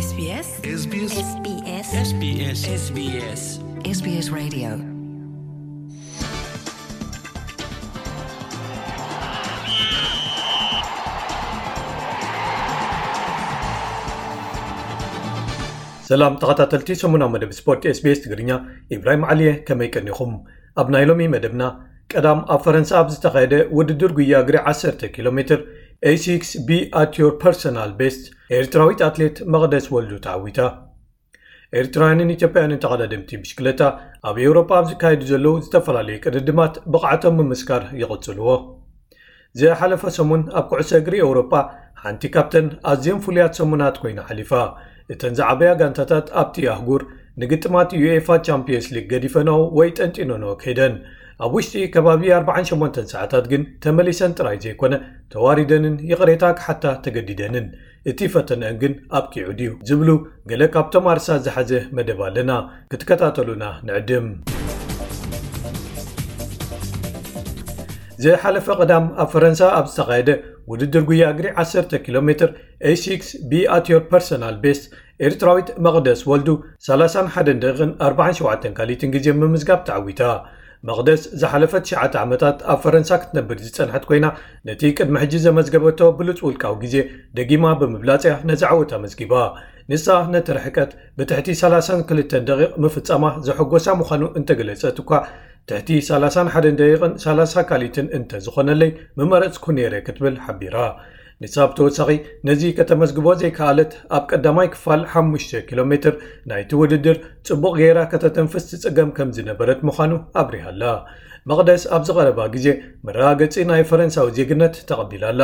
SBS SBS SBS SBS SBS SBS Radio. ሰላም ተኸታተልቲ ሰሙናዊ መደብ ስፖርት SBS ትግርኛ፣ ኢብራሂም ዓሊየ፣ ከመይ ቀኒኹም? ኣብ ናይ ሎሚ መደብና፣ ቀዳም ኣብ ፈረንሳ ኣብ ዝተኻየደ ውድድር ጉያ እግሪ ዓሰርተ ኪሎ ሜትር፣ A six Be at your personal best፣ ኤርትራዊት ኣትሌት መቕደስ ወልዱ ተዓዊታ። ኤርትራውያንን ኢትዮጵያውያንን ተቐዳደምቲ ብሽክለታ ኣብ ኤውሮጳ ኣብ ዝካየዱ ዘለዉ ዝተፈላለዩ ቅድድማት ብቕዓቶም ምምስካር ይቕጽልዎ። ዝሓለፈ ሰሙን ኣብ ኩዕሶ እግሪ ኤውሮጳ ሓንቲ ካብተን ኣዝየን ፍሉያት ሰሙናት ኮይና ሓሊፋ። እተን ዝዓበያ ጋንታታት ኣብቲ ኣህጉር ንግጥማት ዩኤፋ ቻምፒየንስ ሊግ ገዲፈንኦ ወይ ጠንጢነንኦ ከይደን። ኣብ ውሽጢ ከባቢ ኣርብዓን ሸሞንተን ሰዓታት ግን ተመሊሰን ጥራይ ዘይኮነ፣ ተዋሪደንን ይቕሬታ ክሓታ ተገዲደንን። እቲ ፈተነአን ግን ኣብቂዑ ድዩ ዝብሉ ገለ ካብቶም ኣርሳት ዝሓዘ መደብ ኣለና። ክትከታተሉና ንዕድም። ዝሓለፈ ቀዳም ኣብ ፈረንሳ ኣብ ዝተኻየደ ውድድር ጉያ እግሪ ዓሰርተ ኪሎ ሜትር A six Be at your personal best፣ ኤርትራዊት መቕደስ ወልዱ ሰላሳን ሓደን ደቂቕን ኣርባዓን ሸውዓተን ካሊትን ግዜ ምምዝጋብ ተዓዊታ። መቕደስ ዝሓለፈ ትሽዓተ ዓመታት ኣብ ፈረንሳ ክትነብር ዝጸንሐት ኮይና፣ ነቲ ቅድሚ ሕጂ ዘመዝገበቶ ብሉጽ ውልቃዊ ግዜ ደጊማ ብምብላጽ እያ ነዚ ዓወት ኣመዝጊባ። ንሳ ነቲ ርሕቀት ብትሕቲ ሰላሳን ክልተን ደቂቕ ምፍጻማ ዘሐጎሳ ምዃኑ እንተገለጸት እኳ፣ ትሕቲ ሰላሳን ሓደን ደቂቕን ሰላሳ ካሊትን እንተዝኾነለይ ምመረጽኩ ነይረ ክትብል ሓቢራ። ንሳ ብተወሳኺ፣ ነዚ ከተመዝግቦ ዘይከኣለት፣ ኣብ ቀዳማይ ክፋል ሓሙሽተ ኪሎ ሜትር ናይቲ ውድድር ጽቡቕ ገይራ ከተተንፍስ ትጽገም ከም ዝነበረት ምዃኑ ኣብሪሃ ኣላ። መቕደስ ኣብዚ ቀረባ ግዜ መረጋገጺ ናይ ፈረንሳዊ ዜግነት ተቐቢላ ኣላ።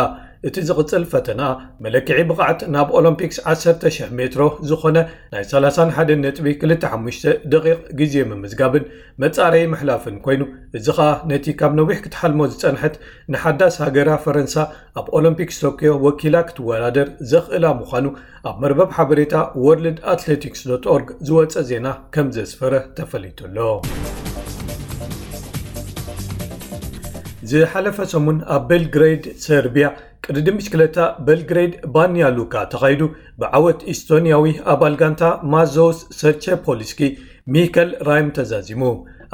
እቲ ዝቕጽል ፈተና መለክዒ ብቕዓት ናብ ኦሎምፒክስ ዓሰርተ ሽሕ ሜትሮ ዝኾነ ናይ ሰላሳን ሓደን ነጥቢ ክልተ ሓሙሽተ ደቂቕ ግዜ ምምዝጋብን መጻረዪ ምሕላፍን ኮይኑ፣ እዚ ኸኣ ነቲ ካብ ነዊሕ ክትሓልሞ ዝጸንሐት ንሓዳስ ሃገራ ፈረንሳ ኣብ ኦሎምፒክስ ቶክዮ ወኪላ ክትወዳደር ዘኽእላ ምዃኑ ኣብ መርበብ ሓበሬታ ወርልድ ኣትሌቲክስ ዶት ኦርግ ዝወጸ ዜና ከም ዘስፈረ ተፈሊጡ ኣሎ። ዝሓለፈ ሰሙን ኣብ ቤልግሬድ ሰርቢያ ቅድድም ብሽክለታ ቤልግሬድ ባንያ ሉካ ተኻይዱ ብዓወት ኢስቶንያዊ ኣባል ጋንታ ማዞስ ሰርቸፖሊስኪ ሚከል ራይም ተዛዚሙ።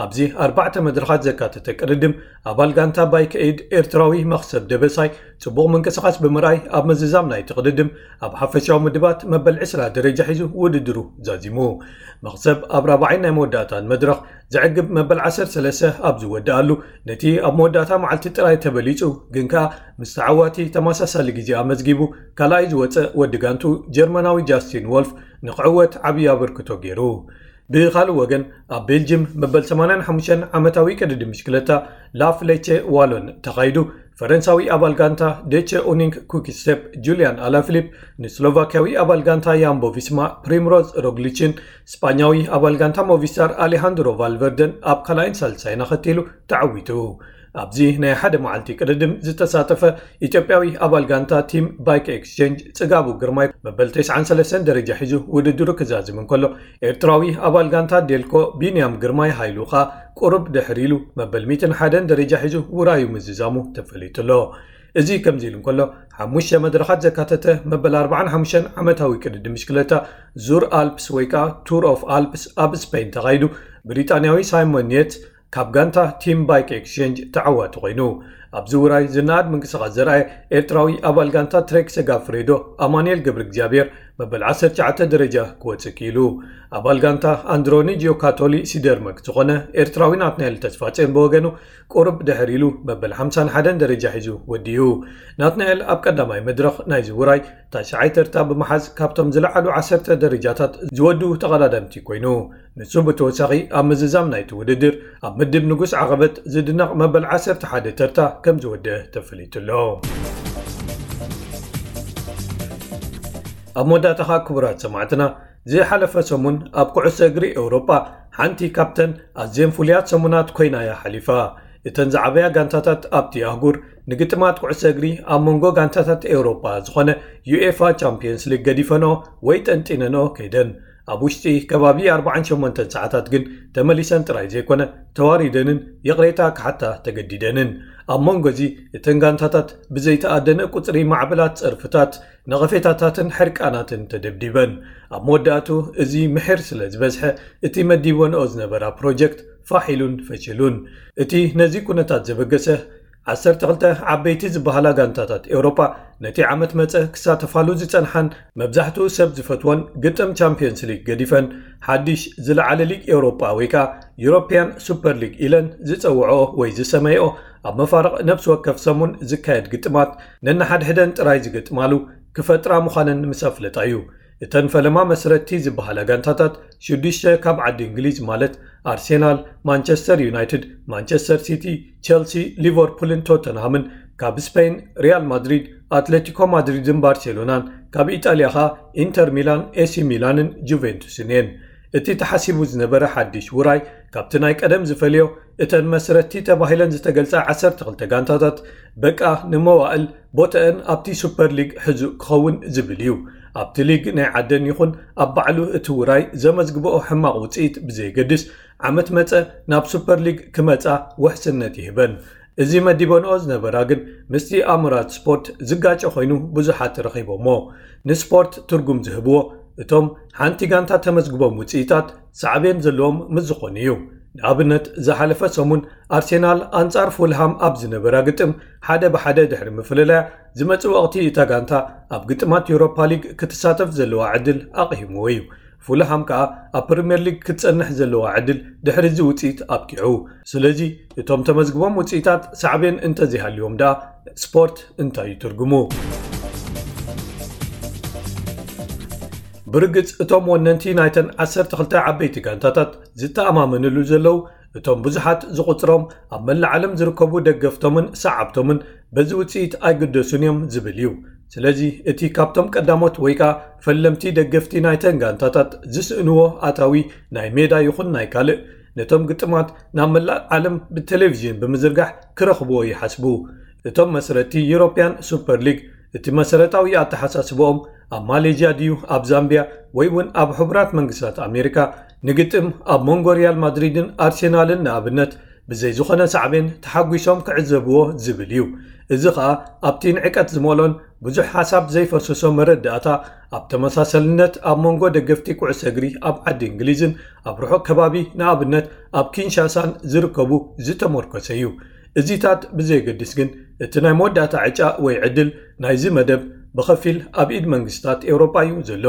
ኣብዚ ኣርባዕተ መድረኻት ዘካተተ ቅድድም ኣባል ጋንታ ባይክ ኤድ ኤርትራዊ መኽሰብ ደበሳይ ጽቡቕ ምንቅስቓስ ብምርኣይ ኣብ ምዝዛም ናይቲ ቅድድም ኣብ ሓፈሻዊ ምድባት መበል ዕስራ ደረጃ ሒዙ ውድድሩ ዛዚሙ። መኽሰብ ኣብ ራብዓይ ናይ መወዳእታን መድረኽ ዘዕግብ መበል ዓሰርተ ሰለስተ ኣብ ዝወድኣሉ፣ ነቲ ኣብ መወዳእታ መዓልቲ ጥራይ ተበሊጹ፣ ግን ከኣ ምስ ተዓዋቲ ተመሳሳሊ ግዜ ኣመዝጊቡ ካልኣይ ዝወጸ ወዲ ጋንቱ ጀርመናዊ ጃስቲን ወልፍ ንክዕወት ዓብዪ ኣበርክቶ ገይሩ። ብኻልእ ወገን፣ ኣብ ቤልጅም መበል ሰማንያን ሓሙሽተን ዓመታዊ ቅድድም ብሽክለታ ላፍሌቸ ዋሎን ተኻይዱ፣ ፈረንሳዊ ኣባል ጋንታ ዴቸ ኡኒንግ ኩክስቴፕ ጁልያን ኣላፊሊፕ ንስሎቫኪያዊ ኣባል ጋንታ ያምቦ ቪስማ ፕሪምሮዝ ሮግሊችን ስጳኛዊ ኣባል ጋንታ ሞቪስታር ኣሌሃንድሮ ቫልቨርደን ኣብ ካልኣይን ሳልሳይን ኣኸቲሉ ተዓዊቱ። ኣብዚ ናይ ሓደ መዓልቲ ቅድድም ዝተሳተፈ ኢትዮጵያዊ ኣባል ጋንታ ቲም ባይክ ኤክስቼንጅ ጽጋቡ ግርማይ መበል ተስዓን ሰለስተን ደረጃ ሒዙ ውድድሩ ክዛዝም እንከሎ፣ ኤርትራዊ ኣባል ጋንታ ዴልኮ ቢንያም ግርማይ ሃይሉ ኸኣ ቁሩብ ድሕር ኢሉ መበል ሚእትን ሓደን ደረጃ ሒዙ ውራዩ ምዝዛሙ ተፈሊጡ ኣሎ። እዚ ከምዚ ኢሉ እንከሎ፣ ሓሙሽተ መድረኻት ዘካተተ መበል ኣርባዓን ሓሙሽተን ዓመታዊ ቅድድም ብሽክለታ ዙር ኣልፕስ ወይ ከኣ ቱር ኦፍ ኣልፕስ ኣብ ስፔን ተኻይዱ፣ ብሪጣንያዊ ሳይሞን ኒየትስ ካብ ጋንታ ቲም ባይክ ኤክስቼንጅ ተዓዋቲ ኮይኑ። ኣብዚ ውራይ ዝነኣድ ምንቅስቓስ ዘርኣየ ኤርትራዊ ኣባል ጋንታ ትሬክ ሰጋፍሬዶ ኣማኑኤል ገብረ እግዚኣብሔር መበል ዓሰርተ ትሽዓተ ደረጃ ክወጽእ ክኢሉ። ኣባል ጋንታ ኣንድሮኒ ጂዮካቶሊ ሲደርመክ ዝኾነ ኤርትራዊ ናትናኤል ተስፋጽዮን ብወገኑ ቁሩብ ድሕር ኢሉ መበል ሓምሳን ሓደን ደረጃ ሒዙ ወዲኡ። ናትናኤል ኣብ ቀዳማይ መድረኽ ናይዚ ውራይ ታሽዓይ ተርታ ብምሓዝ ካብቶም ዝለዓሉ ዓሰርተ ደረጃታት ዝወድኡ ተቐዳደምቲ ኮይኑ። ንሱ ብተወሳኺ ኣብ ምዝዛም ናይቲ ውድድር ኣብ ምድብ ንጉስ ዓቐበት ዝድነቕ መበል ዓሰርተ ሓደ ተርታ ከም ዝወደአ ተፈሊጡ ኣሎ። ኣብ መወዳእታ ኸኣ ክቡራት ሰማዕትና፣ ዝሓለፈ ሰሙን ኣብ ኩዕሶ እግሪ ኤውሮጳ ሓንቲ ካብተን ኣዝየን ፍሉያት ሰሙናት ኮይና እያ ሓሊፋ። እተን ዝዓበያ ጋንታታት ኣብቲ ኣህጉር ንግጥማት ኩዕሶ እግሪ ኣብ መንጎ ጋንታታት ኤውሮጳ ዝኾነ ዩኤፋ ቻምፒየንስ ሊግ ገዲፈንኦ ወይ ጠንጢነንኦ ከይደን። ኣብ ውሽጢ ከባቢ ኣርባዓን ሸሞንተን ሰዓታት ግን ተመሊሰን ጥራይ ዘይኮነ ተዋሪደንን ይቕሬታ ክሓታ ተገዲደንን። ኣብ መንጎ እዚ እተን ጋንታታት ብዘይተኣደነ ቁጽሪ ማዕበላት ጸርፍታት፣ ነቐፌታታትን ሕርቃናትን ተደብዲበን። ኣብ መወዳእቱ እዚ ምሒር ስለ ዝበዝሐ እቲ መዲበንኦ ዝነበራ ፕሮጀክት ፋሕ ኢሉን ፈሽሉን። እቲ ነዚ ኩነታት ዘበገሰ ዓሰርተ ክልተ ዓበይቲ ዝበሃላ ጋንታታት ኤውሮጳ ነቲ ዓመት መጸ ክሳተፋሉ ዝጸንሓን መብዛሕትኡ ሰብ ዝፈትዎን ግጥም ቻምፒዮንስ ሊግ ገዲፈን ሓድሽ ዝለዓለ ሊግ ኤውሮጳ ወይ ከኣ ዩሮፕያን ሱፐር ሊግ ኢለን ዝጸውዖ ወይ ዝሰመይኦ ኣብ መፋርቕ ነፍሲ ወከፍ ሰሙን ዝካየድ ግጥማት ነንሓድሕደን ጥራይ ዝገጥማሉ ክፈጥራ ምዃነን ምስ ኣፍለጣ እዩ። እተን ፈለማ መስረትቲ ዝበሃላ ጋንታታት ሽዱሽተ ካብ ዓዲ እንግሊዝ ማለት ኣርሴናል፣ ማንቸስተር ዩናይትድ፣ ማንቸስተር ሲቲ፣ ቸልሲ፣ ሊቨርፑልን ቶተንሃምን፣ ካብ ስፔን ሪያል ማድሪድ፣ ኣትሌቲኮ ማድሪድን ባርሴሎናን፣ ካብ ኢጣልያ ኸኣ ኢንተር ሚላን፣ ኤሲ ሚላንን ጁቬንቱስን እየን። እቲ ተሓሲቡ ዝነበረ ሓድሽ ውራይ ካብቲ ናይ ቀደም ዝፈልዮ እተን መስረትቲ ተባሂለን ዝተገልጻ ዓሰርተ ክልተ ጋንታታት በቃ ንመዋእል ቦተአን ኣብቲ ሱፐር ሊግ ሕዙእ ክኸውን ዝብል እዩ። ኣብቲ ሊግ ናይ ዓደን ይኹን ኣብ ባዕሉ እቲ ውራይ ዘመዝግበኦ ሕማቕ ውጽኢት ብዘየገድስ ዓመት መጸ ናብ ሱፐር ሊግ ክመጻ ውሕስነት ይህበን። እዚ መዲበንኦ ዝነበራ ግን ምስቲ ኣምራት ስፖርት ዝጋጨ ኮይኑ ብዙሓት ረኺቦሞ። ንስፖርት ትርጉም ዝህብዎ እቶም ሓንቲ ጋንታ ተመዝግቦም ውጽኢታት ሳዕቤን ዘለዎም ምስ ዝኾኑ እዩ። ንኣብነት ዝሓለፈ ሰሙን ኣርሴናል ኣንጻር ፉልሃም ኣብ ዝነበራ ግጥም ሓደ ብሓደ ድሕሪ ምፍልላያ ዝመጽእ ወቕቲ እታ ጋንታ ኣብ ግጥማት ዩሮፓ ሊግ ክትሳተፍ ዘለዋ ዕድል ኣቕሂምዎ እዩ። ፉልሃም ከኣ ኣብ ፕሪምየር ሊግ ክትጸንሕ ዘለዋ ዕድል ድሕሪ እዚ ውጽኢት ኣብቂዑ። ስለዚ እቶም ተመዝግቦም ውጽኢታት ሳዕቤን እንተዘይሃልዮም ደኣ ስፖርት እንታይ እዩ ትርጉሙ? ብርግጽ እቶም ወነንቲ ናይተን ዓሰርተ ክልተ ዓበይቲ ጋንታታት ዝተኣማመንሉ ዘለዉ እቶም ብዙሓት ዝቑጽሮም ኣብ መላእ ዓለም ዝርከቡ ደገፍቶምን ሰዓብቶምን በዚ ውጽኢት ኣይግደሱን እዮም ዝብል እዩ። ስለዚ እቲ ካብቶም ቀዳሞት ወይ ከኣ ፈለምቲ ደገፍቲ ናይተን ጋንታታት ዝስእንዎ ኣታዊ ናይ ሜዳ ይኹን ናይ ካልእ ነቶም ግጥማት ናብ መላእ ዓለም ብቴሌቪዥን ብምዝርጋሕ ክረኽብዎ ይሓስቡ። እቶም መስረቲ ዩሮፕያን ሱፐር ሊግ እቲ መሰረታዊ ኣተሓሳስብኦም ኣብ ማሌዥያ ድዩ ኣብ ዛምቢያ ወይ እውን ኣብ ሕቡራት መንግስታት ኣሜሪካ ንግጥም ኣብ መንጎ ሪያል ማድሪድን ኣርሴናልን ንኣብነት ብዘይ ዝኾነ ሳዕቤን ተሓጒሶም ክዕዘብዎ ዝብል እዩ። እዚ ኸኣ ኣብቲ ንዕቀት ዝመልኦን ብዙሕ ሓሳብ ዘይፈሰሶ መረዳእታ ኣብ ተመሳሰልነት ኣብ መንጎ ደገፍቲ ኩዕሶ እግሪ ኣብ ዓዲ እንግሊዝን ኣብ ርሑቕ ከባቢ ንኣብነት ኣብ ኪንሻሳን ዝርከቡ ዝተመርኮሰ እዩ። እዚታት ብዘየገድስ ግን እቲ ናይ መወዳእታ ዕጫ ወይ ዕድል ናይዚ መደብ ብኸፊል ኣብ ኢድ መንግስታት ኤውሮጳ እዩ ዘሎ።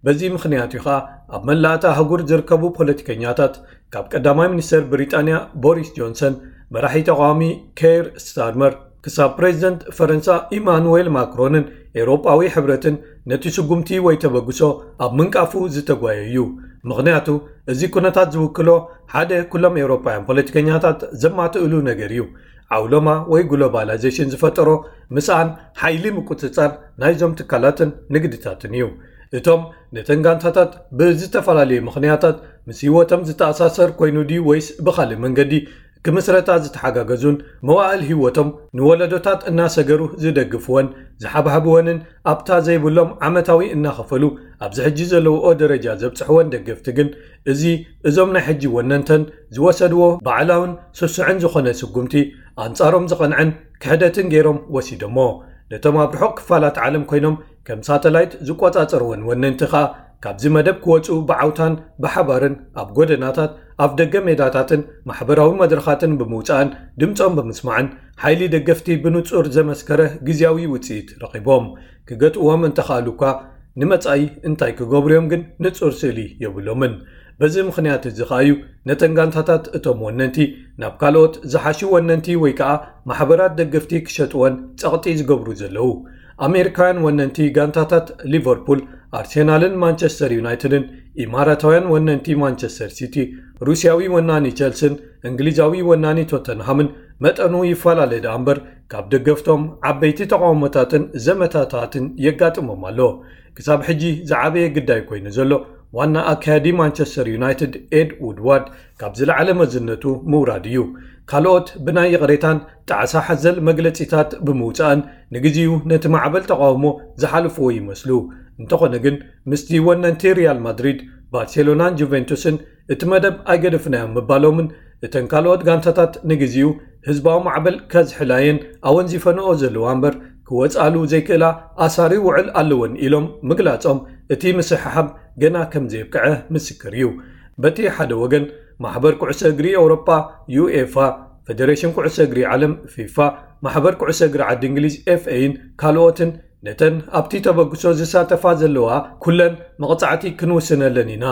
በዚ ምኽንያት እዩ ኸኣ ኣብ መላእታ ኣህጉር ዝርከቡ ፖለቲከኛታት ካብ ቀዳማይ ሚኒስተር ብሪጣንያ ቦሪስ ጆንሰን፣ መራሒ ተቓዋሚ ኬር ስታርመር ክሳብ ፕሬዚደንት ፈረንሳ ኢማኑዌል ማክሮንን ኤውሮጳዊ ሕብረትን ነቲ ስጉምቲ ወይ ተበግሶ ኣብ ምንቃፉ ዝተጓየ እዩ። ምኽንያቱ እዚ ኩነታት ዝውክሎ ሓደ ኩሎም ኤውሮጳውያን ፖለቲከኛታት ዘማትእሉ ነገር እዩ። ዓውሎማ ወይ ግሎባላይዜሽን ዝፈጠሮ ምስኣን ሓይሊ ምቁጽጻር ናይዞም ትካላትን ንግድታትን እዩ። እቶም ነተን ጋንታታት ብዝተፈላለየ ምኽንያታት ምስ ህይወቶም ዝተኣሳሰር ኮይኑ ድዩ ወይስ ብኻልእ መንገዲ ክምስረታ ዝተሓጋገዙን መዋእል ህይወቶም ንወለዶታት እናሰገሩ ዝደግፍወን ዝሓብሓብወንን ኣብታ ዘይብሎም ዓመታዊ እናኸፈሉ ኣብዚ ሕጂ ዘለውኦ ደረጃ ዘብጽሕወን ደገፍቲ ግን እዚ እዞም ናይ ሕጂ ወነንተን ዝወሰድዎ ባዕላውን ስሱዕን ዝኾነ ስጉምቲ ኣንጻሮም ዝቐንዐን ክሕደትን ገይሮም ወሲዶሞ። ነቶም ኣብ ርሑቕ ክፋላት ዓለም ኮይኖም ከም ሳተላይት ዝቆጻጸርወን ወነንቲ ኸኣ ካብዚ መደብ ክወጹ ብዓውታን ብሓባርን ኣብ ጎደናታት፣ ኣብ ደገ ሜዳታትን ማሕበራዊ መድረኻትን ብምውጻእን ድምጾም ብምስማዕን ሓይሊ ደገፍቲ ብንጹር ዘመስከረ ግዝያዊ ውጽኢት ረኺቦም። ክገጥዎም እንተኸኣሉ እኳ ንመጻኢ እንታይ ክገብሩ እዮም ግን ንጹር ስእሊ የብሎምን። በዚ ምኽንያት እዚ ኸኣ እዩ ነተን ጋንታታት እቶም ወነንቲ ናብ ካልኦት ዝሓሹ ወነንቲ ወይ ከኣ ማሕበራት ደገፍቲ ክሸጥወን ጸቕጢ ዝገብሩ ዘለዉ። ኣሜሪካውያን ወነንቲ ጋንታታት ሊቨርፑል፣ ኣርሴናልን ማንቸስተር ዩናይትድን፣ ኢማራታውያን ወነንቲ ማንቸስተር ሲቲ፣ ሩስያዊ ወናኒ ቸልስን እንግሊዛዊ ወናኒ ቶተንሃምን መጠኑ ይፈላለ ደኣ እምበር ካብ ደገፍቶም ዓበይቲ ተቓውሞታትን ዘመታታትን የጋጥሞም ኣሎ። ክሳብ ሕጂ ዝዓበየ ግዳይ ኮይኑ ዘሎ ዋና ኣካያዲ ማንቸስተር ዩናይትድ ኤድ ውድዋርድ ካብ ዝለዓለ መዝነቱ ምውራድ እዩ። ካልኦት ብናይ ይቕሬታን ጣዕሳ ሓዘል መግለጺታት ብምውጻእን ንግዜኡ ነቲ ማዕበል ተቓውሞ ዝሓልፍዎ ይመስሉ። እንተኾነ ግን ምስቲ ወነንቲ ሪያል ማድሪድ፣ ባርሴሎናን ጁቬንቱስን እቲ መደብ ኣይገደፍናዮን ምባሎምን እተን ካልኦት ጋንታታት ንግዜኡ ህዝባዊ ማዕበል ከዝሕላየን ኣወንዚፈንኦ ዘለዋ እምበር ክወጻሉ ዘይክእላ ኣሳሪ ውዕል ኣለወን ኢሎም ምግላጾም እቲ ምስሕሓብ ገና ከም ዘየብቅዐ ምስክር እዩ። በቲ ሓደ ወገን ማሕበር ኩዕሶ እግሪ ኤውሮጳ ዩኤፋ፣ ፌደሬሽን ኩዕሶ እግሪ ዓለም ፊፋ፣ ማሕበር ኩዕሶ እግሪ ዓዲ እንግሊዝ ኤፍኤን ካልኦትን ነተን ኣብቲ ተበግሶ ዝሳተፋ ዘለዋ ኩለን መቕጻዕቲ ክንውስነለን ኢና፣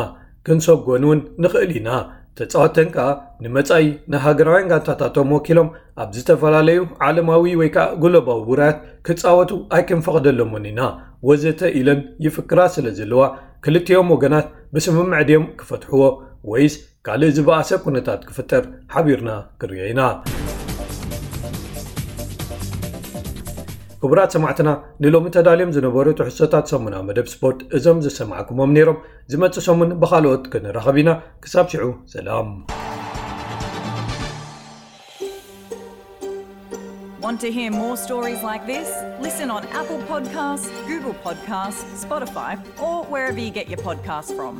ክንሰጎን እውን ንኽእል ኢና። ተጻወተን ከኣ ንመጻኢ ንሃገራውያን ጋንታታቶም ወኪሎም ኣብ ዝተፈላለዩ ዓለማዊ ወይ ከኣ ግሎባዊ ውራያት ክጻወቱ ኣይክንፈቕደሎምን ኢና ወዘተ ኢለን ይፍክራ ስለ ዘለዋ ክልቲኦም ወገናት ብስምምዕ ድዮም ክፈትሕዎ ወይስ ካልእ ዝበኣሰ ኩነታት ክፍጠር ሓቢርና ክርዮ ኢና። ክቡራት ሰማዕትና ንሎሚ ተዳልዮም ዝነበሩ ትሕዝቶታት ሰሙና መደብ ስፖርት እዞም ዝሰማዕኩሞም ነይሮም። ዝመጽእ ሰሙን ብኻልኦት ክንራኸብ ኢና። ክሳብ ሽዑ ሰላም። Want to hear more stories like this? Listen on Apple Podcasts, Google Podcasts, Spotify, or wherever you get your podcasts from.